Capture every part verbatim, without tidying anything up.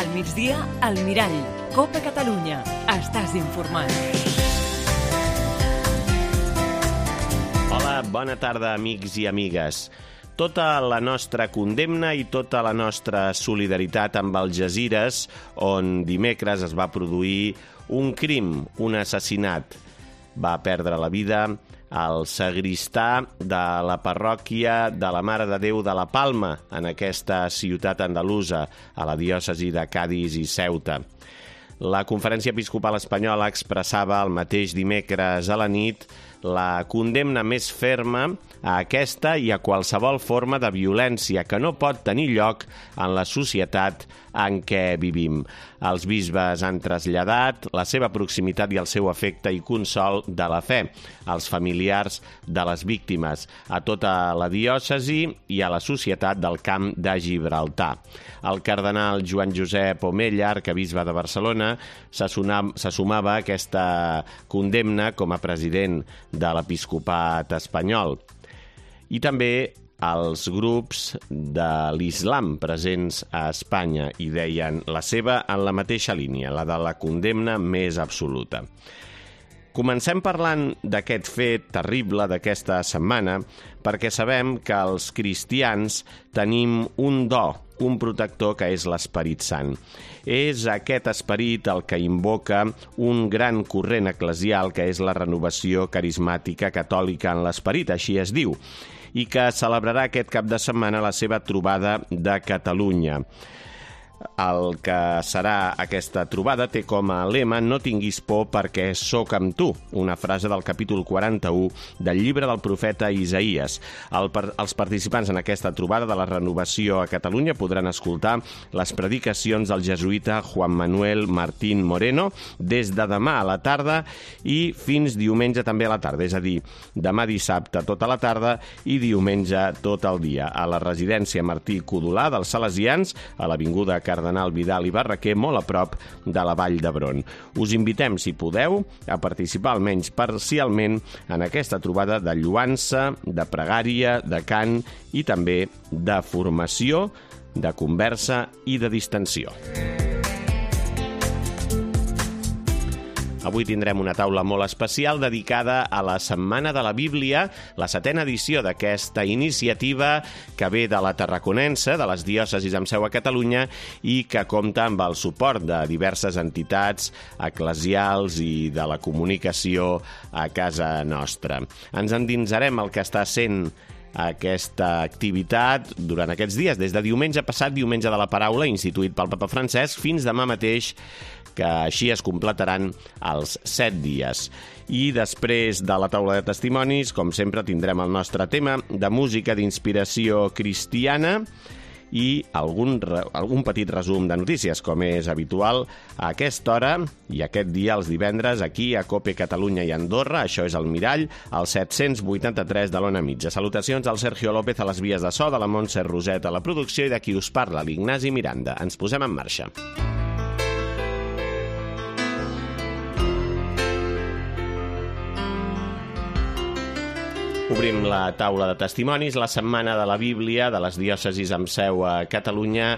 Al migdia, al Mirall. Copa Catalunya. Estàs informat. Hola, bona tarda, amics i amigues. Tota la nostra condemna i tota la nostra solidaritat amb Algesires, on dimecres es va produir un crim, un assassinat. Va perdre la vida el sagristà de la parròquia de la Mare de Déu de la Palma, en aquesta ciutat andalusa, a la diòcesi de Cadis i Ceuta. La Conferència Episcopal Espanyola expressava el mateix dimecres a la nit la condemna més ferma a aquesta i a qualsevol forma de violència que no pot tenir lloc en la societat en què vivim. Els bisbes han traslladat la seva proximitat i el seu afecte i consol de la fe als familiars de les víctimes, a tota la diòcesi i a la societat del Camp de Gibraltar. El cardenal Joan Josep Omella, arquebisbe de Barcelona, se sumava a aquesta condemna com a president de l'episcopat espanyol. I també els grups de l'islam presents a Espanya i deien la seva en la mateixa línia, la de la condemna més absoluta. Comencem parlant d'aquest fet terrible d'aquesta setmana perquè sabem que els cristians tenim un do, un protector que és l'Esperit Sant. És aquest esperit el que invoca un gran corrent eclesial que és la renovació carismàtica catòlica en l'esperit, així es diu, i que celebrarà aquest cap de setmana la seva trobada de Catalunya. El que serà aquesta trobada té com a lema «No tinguis por perquè sóc amb tu», una frase del capítol quaranta-u del llibre del profeta Isaïes. El, els participants en aquesta trobada de la renovació a Catalunya podran escoltar les predicacions del jesuïta Juan Manuel Martín Moreno des de demà a la tarda i fins diumenge també a la tarda, és a dir, demà dissabte tota la tarda i diumenge tot el dia, a la residència Martí Codolà dels Salesians, a l'avinguda Cardenal Vidal i Barraquer, molt a prop de la Vall d'Hebron. Us invitem, si podeu, a participar almenys parcialment en aquesta trobada de lloança, de pregària, de cant i també de formació, de conversa i de distensió. Avui tindrem una taula molt especial dedicada a la Setmana de la Bíblia, la setena edició d'aquesta iniciativa que ve de la Tarraconense, de les diòcesis amb seu a Catalunya, i que compta amb el suport de diverses entitats eclesials i de la comunicació a casa nostra. Ens endinsarem el que està sent aquesta activitat durant aquests dies, des de diumenge passat, diumenge de la paraula, instituït pel Papa Francesc, fins demà mateix, que així es completaran els set dies. I després de la taula de testimonis, com sempre, tindrem el nostre tema de música d'inspiració cristiana i algun, algun petit resum de notícies, com és habitual a aquesta hora i aquest dia, els divendres, aquí a Cope Catalunya i Andorra. Això és el Mirall, al set-cents vuitanta-tres de l'Ona Mitja. Salutacions al Sergio López a les vies de so, de la Montse Roset a la producció i de qui us parla, l'Ignasi Miranda. Ens posem en marxa. Obrim la taula de testimonis. La Setmana de la Bíblia de les diòcesis amb seu a Catalunya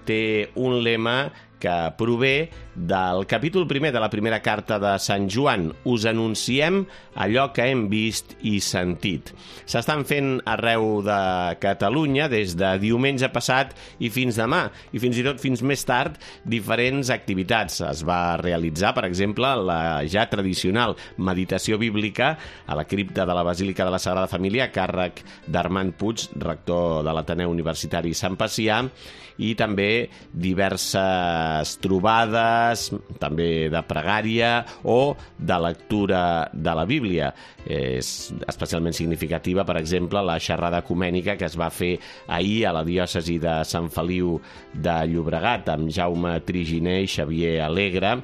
té un lema que prové del capítol primer de la primera carta de Sant Joan. Us anunciem allò que hem vist i sentit. S'estan fent arreu de Catalunya des de diumenge passat i fins demà, i fins i tot fins més tard, diferents activitats. Es va realitzar, per exemple, la ja tradicional meditació bíblica a la cripta de la Basílica de la Sagrada Família, a càrrec d'Armand Puig, rector de l'Ateneu Universitari Sant Pacià, i també diverses trobades, també de pregària o de lectura de la Bíblia. És especialment significativa, per exemple, la xerrada ecumènica que es va fer ahir a la diòcesi de Sant Feliu de Llobregat amb Jaume Triginer i Xavier Alegre,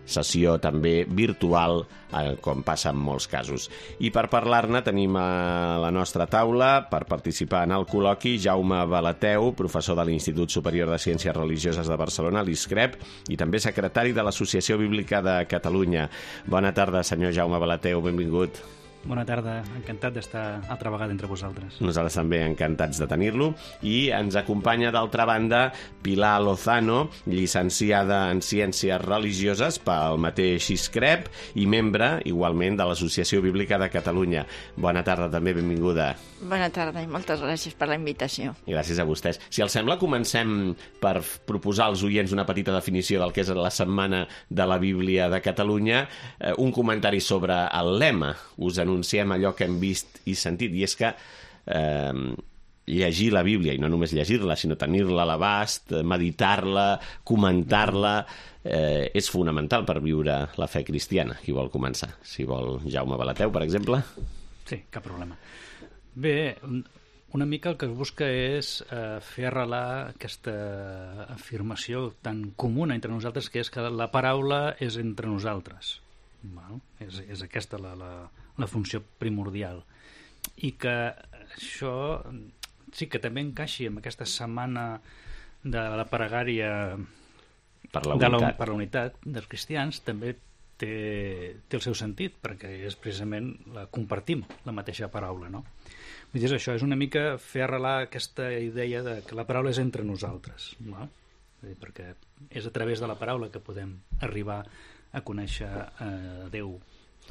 sessió també virtual, eh, com passa en molts casos. I per parlar-ne tenim a la nostra taula, per participar en el col·loqui, Jaume Balateu, professor de l'Institut Superior de Ciències Religioses de Barcelona, l'I S C R E P, i també secretari de l'Associació Bíblica de Catalunya. Bona tarda, senyor Jaume Balateu, benvingut. Bona tarda, encantat d'estar altra vegada entre vosaltres. Nosaltres també encantats de tenir-lo. I ens acompanya, d'altra banda, Pilar Lozano, llicenciada en Ciències Religioses pel mateix ISCREP i membre, igualment, de l'Associació Bíblica de Catalunya. Bona tarda, també, benvinguda. Bona tarda i moltes gràcies per la invitació. Gràcies a vostès. Si els sembla, comencem per proposar als oients una petita definició del que és la Setmana de la Bíblia de Catalunya. Eh, un comentari sobre el lema. Us anunciem allò que hem vist i sentit, i és que eh, llegir la Bíblia, i no només llegir-la, sinó tenir-la a l'abast, meditar-la, comentar-la, eh, és fonamental per viure la fe cristiana. Qui vol començar? Si vol Jaume Balateu, per exemple? Sí, cap problema. Bé, una mica el que es busca és eh, fer arrelar aquesta afirmació tan comuna entre nosaltres, que és que la paraula és entre nosaltres. Val? És, és aquesta la, la, la funció primordial. I que això sí que també encaixi amb aquesta setmana de la pregària per la de la, unitat, per la unitat dels cristians, també té, té el seu sentit, perquè és precisament la, compartim la mateixa paraula, no? Vull dir, això és una mica fer arrelar aquesta idea de que la paraula és entre nosaltres, no? Vull dir, perquè és a través de la paraula que podem arribar a conèixer eh, Déu,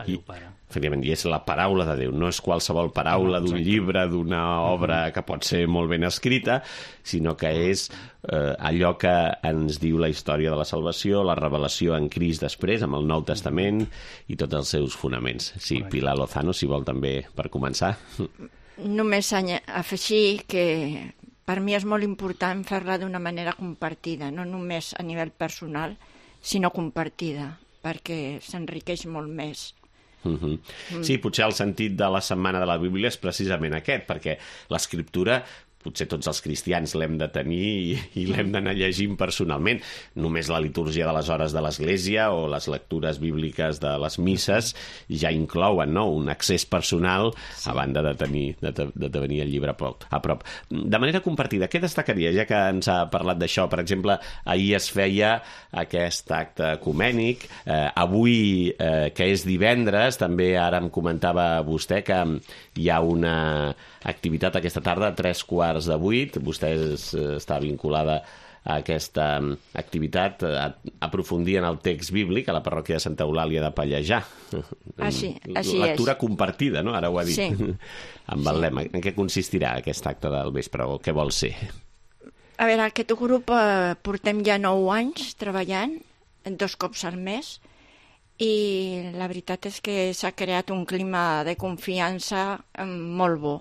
a Déu Pare. Efectivament, i és la paraula de Déu, no és qualsevol paraula d'un llibre, d'una obra que pot ser molt ben escrita, sinó que és eh, allò que ens diu la història de la salvació, la revelació en Crist després, amb el Nou Testament i tots els seus fonaments. Sí, Correcte. Pilar Lozano, si vol també per començar. Només afegir que per mi és molt important fer-la d'una manera compartida, no només a nivell personal, sinó compartida, perquè s'enriqueix molt més. Uh-huh. Sí, potser el sentit de la Setmana de la Bíblia és precisament aquest, perquè l'escriptura potser tots els cristians l'hem de tenir i, i l'hem d'anar llegint personalment. Només la litúrgia de les hores de l'Església o les lectures bíbliques de les misses ja inclouen, no?, un accés personal sí. a banda de tenir, de, de tenir el llibre a prop, a prop. De manera compartida, què destacaria, ja que ens ha parlat d'això? Per exemple, ahir es feia aquest acte ecumènic, eh, avui, eh, que és divendres, també ara em comentava vostè que hi ha una activitat aquesta tarda a tres quarts de vuit. Vostè és, està vinculada a aquesta activitat, a aprofundir en el text bíblic a la parròquia de Santa Eulàlia de Pallejà. Així, així Lectura és. compartida, no? Ara ho ha dit. Sí. Amb el lema. En què consistirà aquest acte del vespre o què vol ser? A veure, aquest grup eh, portem ja nou anys treballant, dos cops al mes, i la veritat és que s'ha creat un clima de confiança eh, molt bo.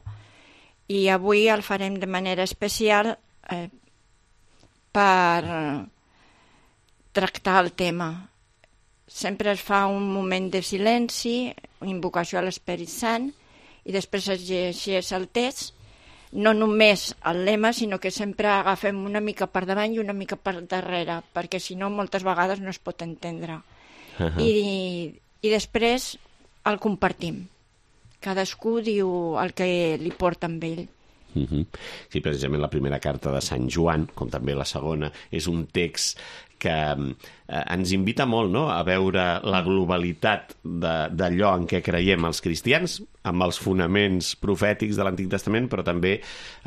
I avui el farem de manera especial eh, per tractar el tema. Sempre es fa un moment de silenci, invocació a l'Esperit Sant, i després es llegeix el text, no només el lema, sinó que sempre agafem una mica per davant i una mica per darrere, perquè si no moltes vegades no es pot entendre. Uh-huh. I, i després el compartim. Cadascú diu el que li porta amb ell. Uh-huh. Sí, precisament la primera carta de Sant Joan, com també la segona, és un text que eh, ens invita molt, no?, a veure la globalitat d'allò en què creiem els cristians, amb els fonaments profètics de l'Antic Testament, però també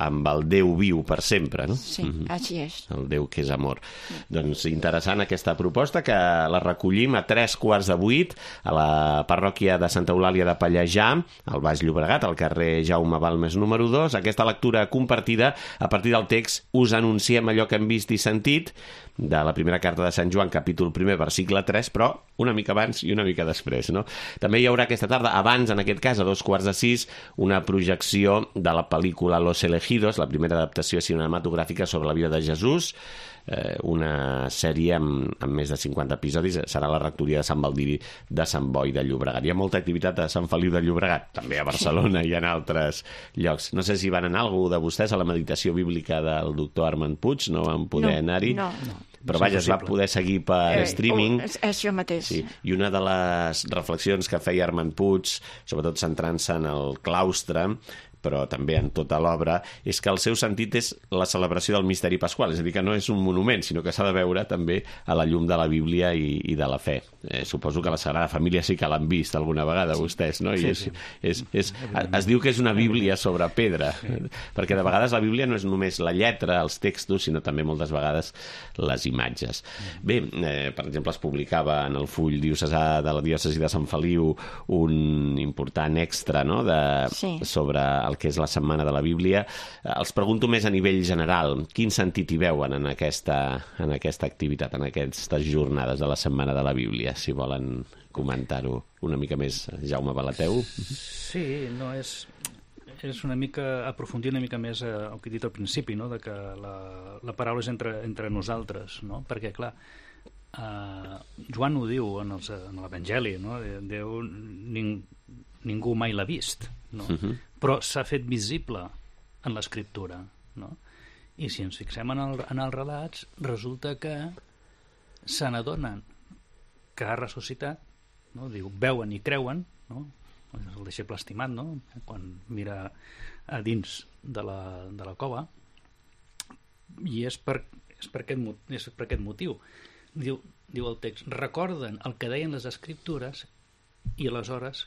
amb el Déu viu per sempre, no? Sí, uh-huh. Així és. El Déu que és amor. Uh-huh. Doncs interessant aquesta proposta, que la recollim a tres quarts de vuit a la parròquia de Santa Eulàlia de Pallejà, al Baix Llobregat, al carrer Jaume Balmes número dos. Aquesta lectura compartida a partir del text Us anunciem allò que hem vist i sentit, de la primera carta de Sant Joan, capítol primer, versicle tres, però una mica abans i una mica després, no? També hi haurà aquesta tarda, abans, en aquest cas, a dos quarts de sis, una projecció de la pel·lícula Los Elegidos, la primera adaptació cinematogràfica sobre la vida de Jesús, eh, una sèrie amb, amb més de cinquanta episodis. Serà la rectoria de Sant Baldiri de Sant Boi de Llobregat. Hi ha molta activitat a Sant Feliu de Llobregat, també a Barcelona i en altres llocs. No sé si van anar algú de vostès a la meditació bíblica del doctor Armand Puig, no van poder no, anar-hi. No, no. Però vaja, es va poder seguir per eh, streaming. És això mateix. Sí. I una de les reflexions que feia Armand Puig, sobretot centrant-se en el claustre, però també en tota l'obra, és que el seu sentit és la celebració del misteri pasqual, és a dir, que no és un monument, sinó que s'ha de veure també a la llum de la Bíblia i, i de la fe. Eh, suposo que la Sagrada Família sí que l'han vist alguna vegada, sí. vostès, no? I sí, és, sí. És, és, és, es diu que és una Bíblia sobre pedra, sí. perquè de vegades la Bíblia no és només la lletra, els textos, sinó també moltes vegades les imatges. Bé, eh, per exemple, es publicava en el full diocesà de la diòcesi de Sant Feliu un important extra, no?, de, sí. sobre el que és la Setmana de la Bíblia. Els pregunto més a nivell general. Quin sentit hi veuen en aquesta, en aquesta activitat, en aquestes jornades de la Setmana de la Bíblia? Si volen comentar-ho una mica més, Jaume Balateu. Sí, no és... és una mica aprofundir una mica més eh, el que he dit al principi, no?, de que la, la paraula és entre, entre nosaltres, no? Perquè, clar, eh, Joan ho diu en, els, en l'Evangeli, no? Déu ning, ningú mai l'ha vist, no? Uh-huh. Però s'ha fet visible en l'escriptura, no? I si ens fixem en, el, en els relats, resulta que se n'adonen que ha ressuscitat, no? Diu, veuen i creuen, no? El deixeble estimat, no?, quan mira a dins de la, de la cova, i és per, és per, aquest, és per aquest motiu. Diu, diu el text, recorden el que deien les escriptures i aleshores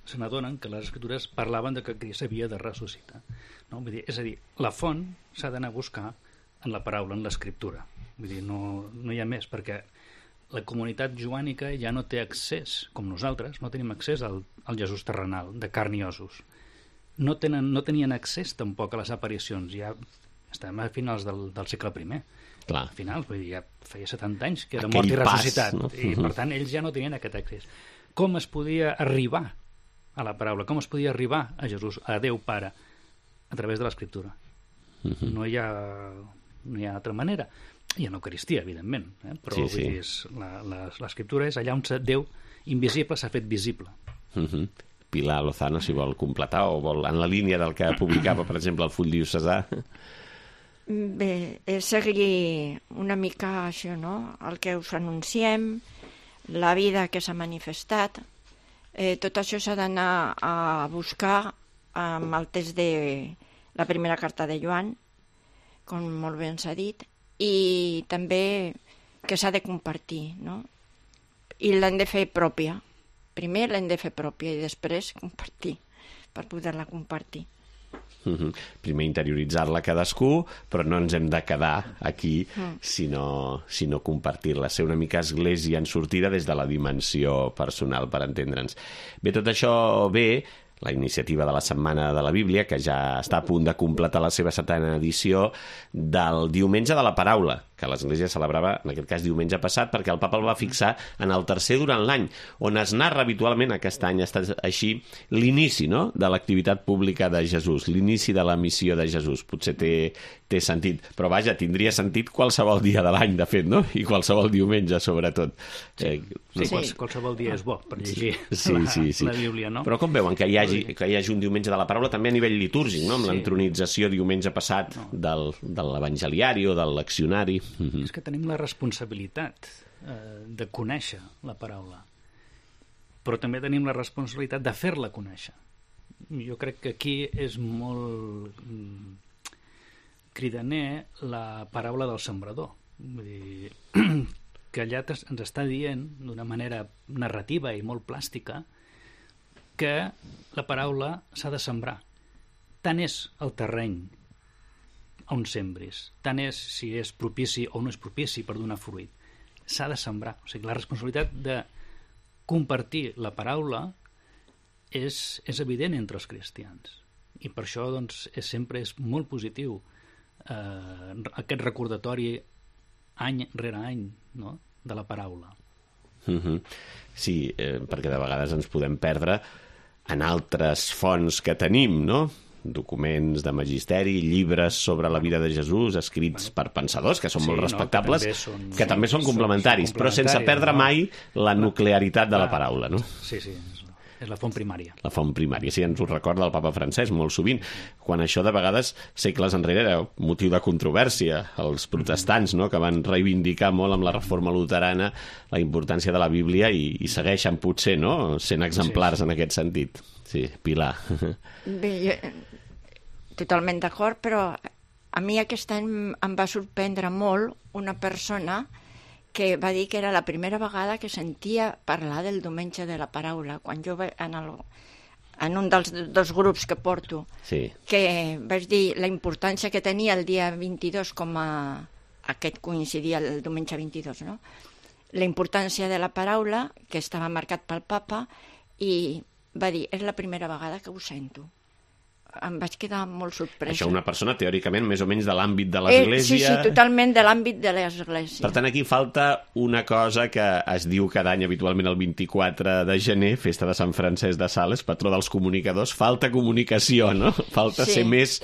se n'adonen que les escriptures parlaven de que Crist havia de ressuscitar. No? Vull dir, és a dir, la font s'ha d'anar a buscar en la paraula, en l'escriptura. Vull dir, no, no hi ha més, perquè la comunitat joànica ja no té accés, com nosaltres, no tenim accés al, al Jesús terrenal, de carn i ossos. No, tenen, no tenien accés tampoc a les aparicions, ja estem a finals del, del segle primer. Clar. A finals, vull dir, ja feia setanta anys que era Aquell mort i pas, ressuscitat, no? I per tant ells ja no tenien aquest accés. Com es podia arribar a la paraula? Com es podia arribar a Jesús, a Déu Pare, a través de l'Escriptura? Uh-huh. No hi ha, no hi ha altra manera. I en l'Eucaristia, evidentment, eh? Però sí, sí. Vull dir, és, la, la, l'escriptura és allà on Déu invisible s'ha fet visible. Uh-huh. Pilar Lozano, si vol completar o vol, en la línia del que publicava, per exemple, el full diocesà. Bé, és seguir una mica això, no?, el que us anunciem, la vida que s'ha manifestat. Eh, tot això s'ha d'anar a buscar amb el text de la primera carta de Joan, com molt bé ens ha dit, i també que s'ha de compartir, no? I l'hem de fer pròpia. Primer l'hem de fer pròpia i després compartir, per poder-la compartir. Uh-huh. Primer interioritzar-la cadascú, però no ens hem de quedar aquí, mm. sinó, sinó compartir-la, ser una mica església en sortida des de la dimensió personal, per entendre'ns. Bé, tot això bé, la iniciativa de la Setmana de la Bíblia, que ja està a punt de completar la seva setena edició, del Diumenge de la Paraula, que l'Església celebrava, en aquest cas, diumenge passat, perquè el papa el va fixar en el tercer durant l'any, on es narra habitualment, aquest any ha estat així, l'inici, no?, de l'activitat pública de Jesús, l'inici de la missió de Jesús. Potser té, té sentit, però vaja, tindria sentit qualsevol dia de l'any, de fet, no?, i qualsevol diumenge, sobretot. Sí, eh, sí. Quals, qualsevol dia és bo per llegir sí, la, sí, sí. la Bíblia, no? Però com veuen que hi hagi, que hi hagi un Diumenge de la Paraula també a nivell litúrgic, no?, amb sí. l'entronització diumenge passat no. del, de l'evangeliari o del leccionari. Mm-hmm. És que tenim la responsabilitat eh, de conèixer la paraula, però també tenim la responsabilitat de fer-la conèixer. Jo crec que aquí és molt mm, cridaner la paraula del sembrador. Vull dir, que allà ens està dient d'una manera narrativa i molt plàstica que la paraula s'ha de sembrar. Tant és el terreny on sembris, tant és si és propici o no és propici per donar fruit. S'ha de sembrar. O sigui, la responsabilitat de compartir la paraula és, és evident entre els cristians. I per això, doncs, és, sempre és molt positiu eh, aquest recordatori any rere any, no?, de la paraula. Mm-hmm. Sí, eh, perquè de vegades ens podem perdre en altres fonts que tenim, no?, documents de magisteri, llibres sobre la vida de Jesús, escrits per pensadors, que són sí, molt respectables, no, que, també són, que també són complementaris, són, són complementaris, però sense perdre no? mai la nuclearitat de la paraula, no? Sí, sí, és la font primària. La font primària, sí, ens ho recorda el papa Francesc molt sovint, quan això de vegades, segles enrere, era motiu de controvèrsia. Els protestants, no?, que van reivindicar molt amb la reforma luterana la importància de la Bíblia i, i segueixen potser, no?, sent exemplars sí, sí. en aquest sentit. Sí, Pilar. Bé, jo, totalment d'acord, però a mi aquest any em va sorprendre molt una persona que va dir que era la primera vegada que sentia parlar del diumenge de la paraula, quan jo en, el, en un dels dos grups que porto, sí. que vaig dir la importància que tenia el dia vint-i-dos, com a aquest coincidia el diumenge vint-i-dos, no? La importància de la paraula, que estava marcat pel papa, i va dir, és la primera vegada que ho sento. Em vaig quedar molt sorpresa. Això una persona, teòricament, més o menys de l'àmbit de l'Església... Eh, sí, sí, totalment de l'àmbit de l'Església. Per tant, aquí falta una cosa que es diu cada any habitualment el vint-i-quatre de gener, festa de Sant Francesc de Sales, patró dels comunicadors. Falta comunicació, no? Falta sí. ser més,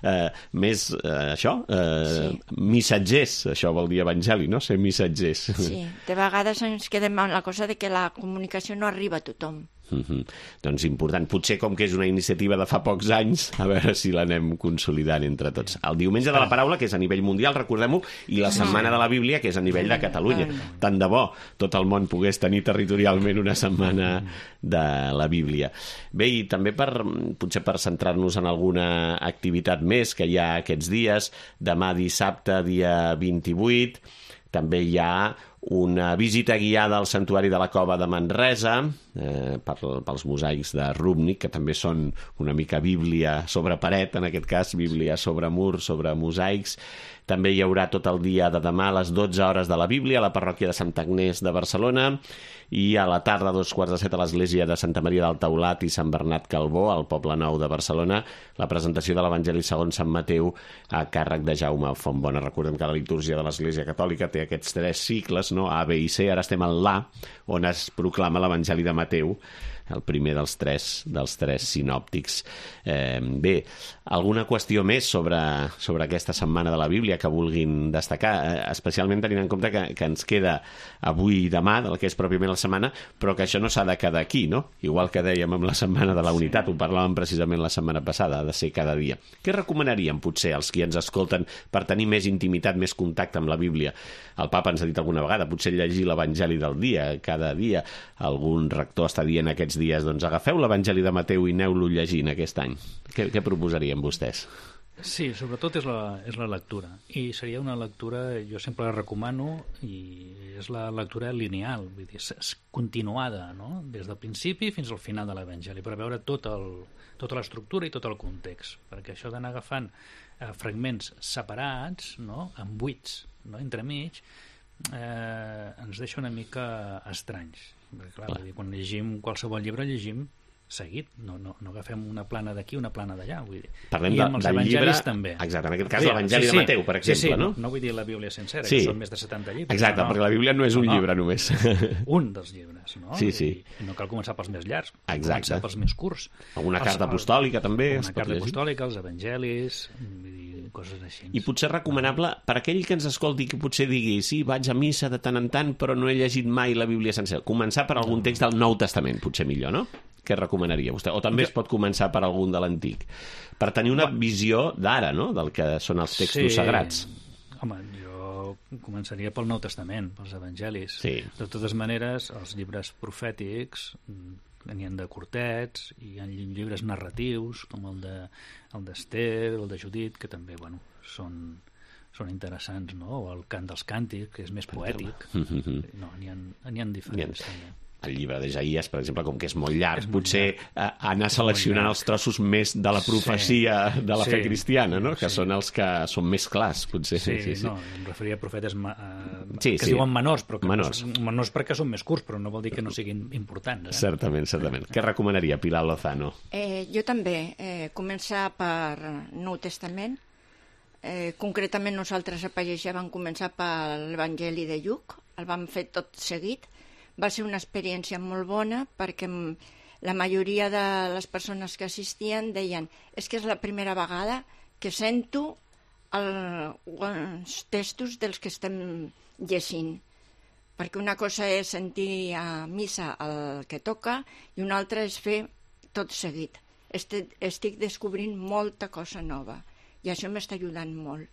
eh, més eh, això, eh, sí. missatgers. Això vol dir evangeli, no? Ser missatgers. Sí, de vegades ens quedem amb la cosa de que la comunicació no arriba a tothom. Mm-hmm. Doncs important. Potser com que és una iniciativa de fa pocs anys, a veure si l'anem consolidant entre tots. El diumenge de la paraula, que és a nivell mundial, recordem-ho, i la setmana de la Bíblia, que és a nivell de Catalunya. Tant de bo tot el món pogués tenir territorialment una setmana de la Bíblia. Bé, i també per, potser per centrar-nos en alguna activitat més que hi ha aquests dies, demà dissabte, dia vint-i-vuit, també hi ha una visita guiada al Santuari de la Cova de Manresa, eh, per, pels mosaics de Rubnik, que també són una mica Bíblia sobre paret, en aquest cas, Bíblia sobre mur, sobre mosaics. També hi haurà tot el dia de demà a les dotze hores de la Bíblia a la parròquia de Santa Agnès de Barcelona, i a la tarda, a dos quarts de set, a l'església de Santa Maria del Taulat i Sant Bernat Calbó, al Poble Nou de Barcelona, la presentació de l'Evangeli segons Sant Mateu a càrrec de Jaume Fontbona. Recordem que la litúrgia de l'Església Catòlica té aquests tres cicles, no? A, B i C. Ara estem en l'A, on es proclama l'Evangeli de Mateu, el primer dels tres, dels tres sinòptics. Eh, bé, alguna qüestió més sobre, sobre aquesta setmana de la Bíblia que vulguin destacar, eh, especialment tenint en compte que, que ens queda avui i demà, del que és pròpiament la setmana, però que això no s'ha de quedar aquí, no? Igual que dèiem amb la Setmana de la Unitat, ho parlàvem precisament la setmana passada, ha de ser cada dia. Què recomanaríem, potser, als qui ens escolten per tenir més intimitat, més contacte amb la Bíblia? El papa ens ha dit alguna vegada, potser llegir l'Evangeli del dia, cada dia. Algun rector està dient aquests dies, doncs agafeu l'Evangeli de Mateu i aneu-lo llegint aquest any. Què, què proposarien vostès? Sí, sobretot és la, és la lectura. I seria una lectura, jo sempre la recomano, i és la lectura lineal, vull dir, és continuada, no? Des del principi fins al final de l'Evangeli, per veure tot el, tota l'estructura i tot el context. Perquè això d'anar agafant eh, fragments separats, no? Amb buits, no? Entremig, eh, ens deixa una mica estranys. Perquè, clar, vull dir, quan llegim qualsevol llibre, llegim seguit, no, no, no agafem una plana d'aquí, una plana d'allà, vull dir. Parlem I de, amb els del evangelis llibre, també. Exacte, en aquest cas l'Evangeli sí, sí. de Mateu, per exemple, sí, sí, no? no? No vull dir la Bíblia sencera, sí. que són més de setanta llibres. Exacte, no, perquè la Bíblia no és un no, llibre només. Un dels llibres, no? Sí, sí. I no cal començar pels més llargs, cal Exacte. començar pels més curts. Alguna els, carta apostòlica també. Una carta apostòlica, els evangelis, vull dir, coses així. I potser recomanable per aquell que ens escolti que potser digui sí, vaig a missa de tant en tant però no he llegit mai la Bíblia sencera. Començar per algun text del Nou Testament, potser millor, no? Què recomanaria vostè? O també es pot començar per algun de l'Antic. Per tenir una visió d'ara, no?, del que són els textos sí. sagrats. Home, jo començaria pel Nou Testament, pels evangelis. Sí. De totes maneres, els llibres profètics n'hi ha de curtets, i hi ha llibres narratius, com el de el d'Ester, el de Judit, que també, bueno, són, són interessants, no? O el cant dels càntics, que és més poètic. No, n'hi ha, n'hi ha diferents, també. El llibre d'Isaïes, per exemple, com que és molt llarg, és molt potser llarg. anar seleccionant els trossos més de la profecia sí. de la sí. fe cristiana, no? Que sí. són els que són més clars, potser. Sí, sí, sí. no, em referia a profetes uh, sí, que sí. es diuen menors, però que menors. No, menors perquè són més curts, però no vol dir que no siguin importants. Eh? Certament, certament. Què recomanaria, Pilar Lozano? Eh, jo també. Eh, començar per Nou Testament. Eh, concretament nosaltres a Pagesia vam començar per l'Evangeli de Lluc, el vam fer tot seguit. Va ser una experiència molt bona perquè la majoria de les persones que assistien deien és que és la primera vegada que sento el, els textos dels que estem llegint. Perquè una cosa és sentir a missa el que toca i una altra és fer tot seguit. Estic, estic descobrint molta cosa nova i això m'està ajudant molt.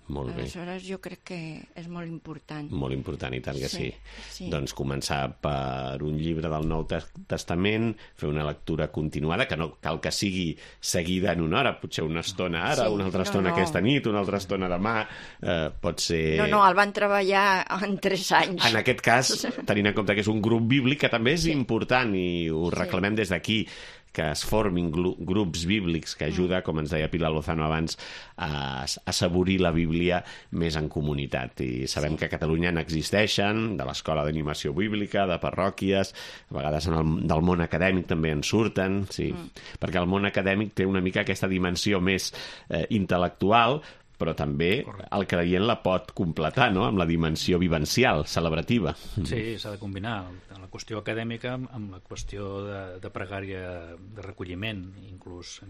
Molt bé. Aleshores, jo crec que és molt important. Molt important, i tant que sí. Sí, sí. Doncs començar per un llibre del Nou Testament, fer una lectura continuada, que no cal que sigui seguida en una hora, potser una estona ara, Sí, una altra no, estona no. aquesta nit, una altra estona demà, eh, pot ser... No, no, el van treballar en tres anys. En aquest cas, tenint en compte que és un grup bíblic, que també és Sí. important, i ho reclamem des d'aquí, que es formin grups bíblics, que ajuda, com ens deia Pilar Lozano abans, a assaborir la Bíblia més en comunitat. I sabem sí. que a Catalunya n'existeixen, de l'escola d'animació bíblica, de parròquies, a vegades en el, del món acadèmic també en surten, sí, mm. perquè el món acadèmic té una mica aquesta dimensió més eh, intel·lectual, però també Correcte. El creient la pot completar, no?, amb la dimensió vivencial, celebrativa. Sí, s'ha de combinar la qüestió acadèmica amb la qüestió de, de pregària de recolliment, inclús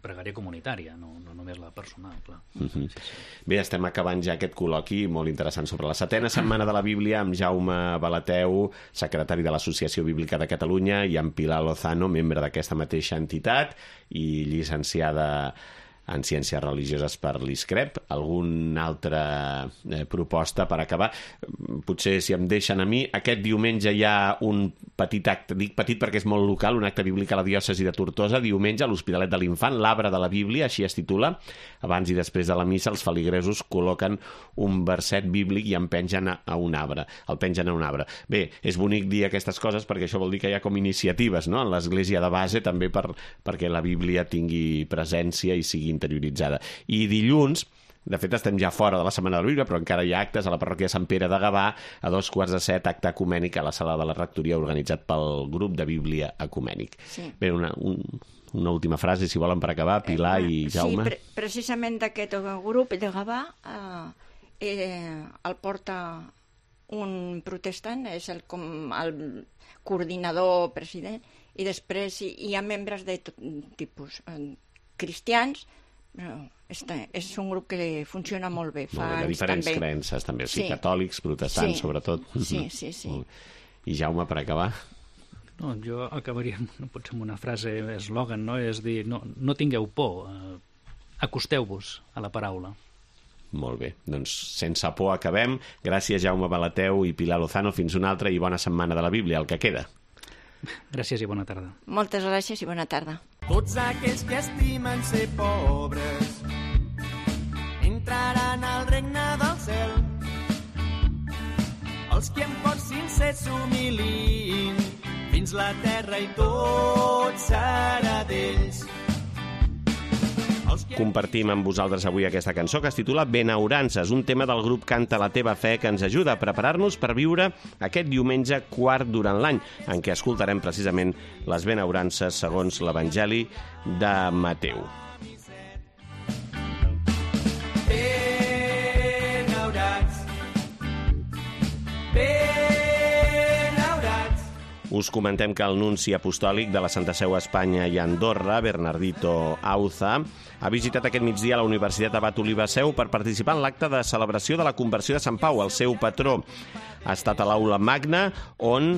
pregària comunitària, no, no només la personal, clar. Uh-huh. sí, sí. Bé, estem acabant ja aquest col·loqui molt interessant sobre la setena setmana de la Bíblia amb Jaume Balateu, secretari de l'Associació Bíblica de Catalunya, i amb Pilar Lozano, membre d'aquesta mateixa entitat i llicenciada en Ciències Religioses per l'I S C R E P. Alguna altra eh, proposta per acabar? Potser, si em deixen a mi, aquest diumenge hi ha un petit acte, dic petit perquè és molt local, un acte bíblic a la diòcesi de Tortosa, diumenge a l'Hospitalet de l'Infant, l'Arbre de la Bíblia, així es titula. Abans i després de la missa, els feligresos col·loquen un verset bíblic i en pengen a, a un arbre. El pengen a un arbre. Bé, és bonic dir aquestes coses perquè això vol dir que hi ha com iniciatives, no?, en l'Església de base, també per, perquè la Bíblia tingui presència i sigui interioritzada. I dilluns, de fet estem ja fora de la Setmana de la Bíblia, però encara hi ha actes a la parròquia de Sant Pere de Gavà, a dos quarts de set, acte ecumènic a la sala de la rectoria organitzat pel grup de Bíblia ecumènic. Sí. Bé, una, un, una última frase, si volen, per acabar, Pilar i Jaume. Sí, pre precisament d'aquest grup de Gavà eh, eh, el porta un protestant, és el, com el coordinador president, i després hi, hi ha membres de tot tipus, eh, cristians, però és, és un grup que funciona molt bé. Fa molt bé, de diferents també. creences també, sí, sí. catòlics, protestants, sí. sobretot. Sí, sí, sí. I Jaume, per acabar? No, jo acabaria, no pot ser amb una frase eslògan, no? És dir, no, no tingueu por, eh, acosteu-vos a la paraula. Molt bé, doncs sense por acabem. Gràcies, Jaume Balateu i Pilar Lozano. Fins una altra i bona setmana de la Bíblia, el que queda. Gràcies i bona tarda. Moltes gràcies i bona tarda. Tots aquells que estimen ser pobres entraran al regne del cel. Els que amb cor sincer s'humilin fins la terra i tot serà d'ells. Compartim amb vosaltres avui aquesta cançó que es titula Benaurances, un tema del grup Canta la teva fe que ens ajuda a preparar-nos per viure aquest diumenge quart durant l'any, en què escoltarem precisament les benaurances segons l'Evangeli de Mateu. Benaurats, benaurats. Us comentem que el nunci apostòlic de la Santa Seu a Espanya i Andorra, Bernardito Auza, ha visitat aquest migdia la Universitat Abat Oliba Seu per participar en l'acte de celebració de la conversió de Sant Pau, el seu patró. Ha estat a l'aula magna on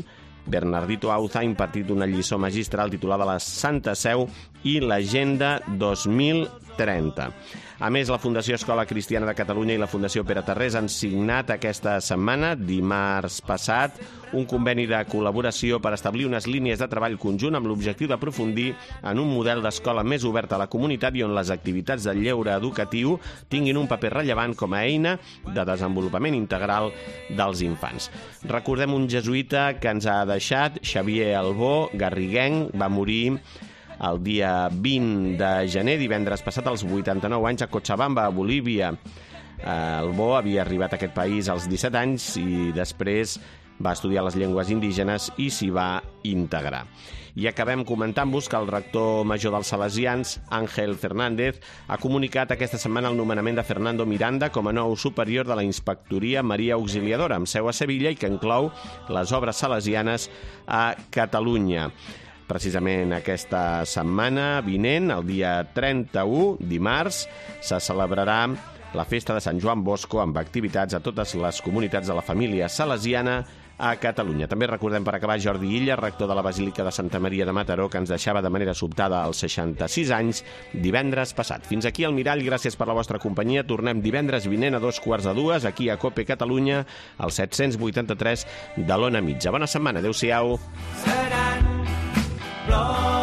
Bernardito Auza ha impartit una lliçó magistral titulada La Santa Seu i l'Agenda dos mil trenta. A més, la Fundació Escola Cristiana de Catalunya i la Fundació Pere Tarrés han signat aquesta setmana, dimarts passat, un conveni de col·laboració per establir unes línies de treball conjunt amb l'objectiu d'aprofundir en un model d'escola més obert a la comunitat i on les activitats de lleure educatiu tinguin un paper rellevant com a eina de desenvolupament integral dels infants. Recordem un jesuïta que ens ha deixat, Xavier Albó, garriguenc, va morir el dia vint de gener, divendres passat, als vuitanta-nou anys, a Cochabamba, a Bolívia. Albó havia arribat a aquest país als disset anys i després va estudiar les llengües indígenes i s'hi va integrar. I acabem comentant-vos que el rector major dels Salesians, Ángel Fernández, ha comunicat aquesta setmana el nomenament de Fernando Miranda com a nou superior de la Inspectoria Maria Auxiliadora, amb seu a Sevilla i que inclou les obres salesianes a Catalunya. Precisament aquesta setmana vinent, el dia trenta-u, dimarts, se celebrarà la festa de Sant Joan Bosco amb activitats a totes les comunitats de la família salesiana a Catalunya. També recordem per acabar Jordi Illa, rector de la Basílica de Santa Maria de Mataró, que ens deixava de manera sobtada als seixanta-sis anys divendres passat. Fins aquí el Mirall, gràcies per la vostra companyia. Tornem divendres vinent a dos quarts de dues, aquí a COPE Catalunya, al set-cents vuitanta-tres de l'Ona Mitja. Bona setmana, adeu-siau. Seran plors